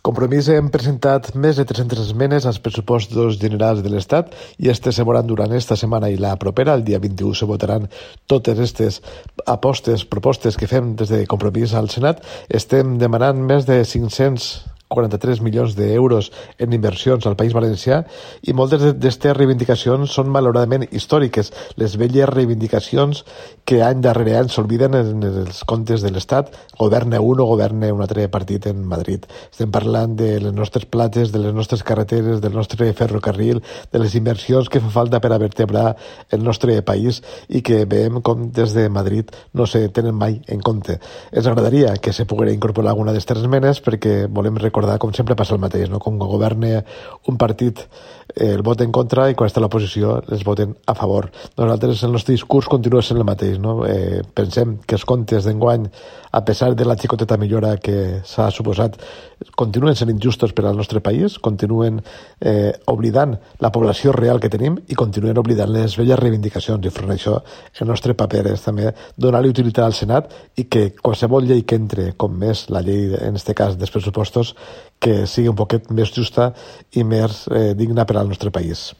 Compromís hem presentat més de 300 esmenes als pressupostos generals de l'Estat i se veuran durant esta setmana i la propera. El dia 21 se votaran totes aquestes propostes que fem des de Compromís al Senat. Estem demanant més de 543 milions d'euros en inversions al País Valencià i moltes d'aquestes reivindicacions són malauradament històriques. Les velles reivindicacions que any darrere any s'olviden en els comptes de l'Estat, governa un o governa un altre partit en Madrid. Estem parlant de les nostres platges, de les nostres carreteres, del nostre ferrocarril, de les inversions que fa falta per a vertebrar el nostre país i que veiem com des de Madrid no se tenen mai en compte. Ens agradaria que se poguera incorporar alguna d'aquestes esmenes perquè volem recordar, com sempre passa el mateix, no? Com governa un partit el vot en contra i quan està a l'oposició els voten a favor. Nosaltres el nostre discurs continua sent el mateix, no? Pensem que els comptes d'enguany, a pesar de la xicoteta millora que s'ha suposat, continuen sent injustos per al nostre país, continuen oblidant la població real que tenim i continuen oblidant les velles reivindicacions. I front a això, el nostre paper és també donar-li utilitat al Senat i que qualsevol llei que entre, com és la llei, en aquest cas, dels pressupostos, que sigui un poquet més justa i més digna per al nostre país.